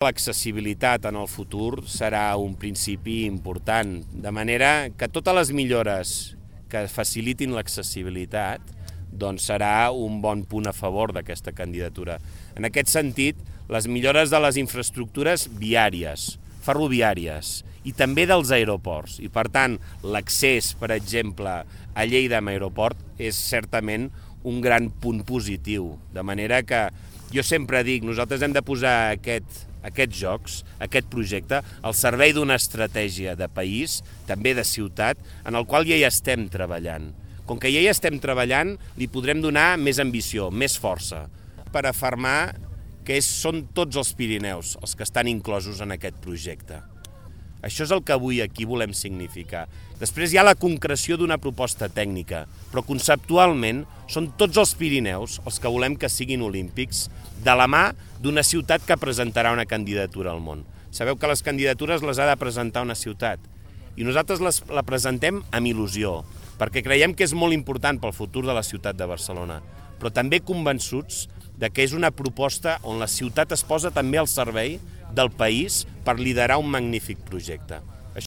L'accessibilitat en el futur serà un principi important, de manera que totes les millores que facilitin l'accessibilitat serà un bon punt a favor d'aquesta candidatura. En aquest sentit, les millores de les infraestructures viàries, ferroviàries i també dels aeroports. I per tant, l'accés, per exemple, a Lleida amb aeroport és certament un gran punt positiu. De manera que jo sempre dic, nosaltres hem de posar aquests jocs, aquest projecte, al servei d'una estratègia de país, també de ciutat, en el qual ja hi estem treballant. Com que ja hi estem treballant, li podrem donar més ambició, més força, per afirmar que són tots els Pirineus els que estan inclosos en aquest projecte. Això és el que avui aquí volem significar. Després hi ha la concreció d'una proposta tècnica, però conceptualment són tots els Pirineus els que volem que siguin olímpics de la mà d'una ciutat que presentarà una candidatura al món. Sabeu que les candidatures les ha de presentar una ciutat i nosaltres la presentem amb il·lusió, perquè creiem que és molt important pel futur de la ciutat de Barcelona, però també convençuts que és una proposta on la ciutat es posa també al servei del país per liderar un magnífic projecte.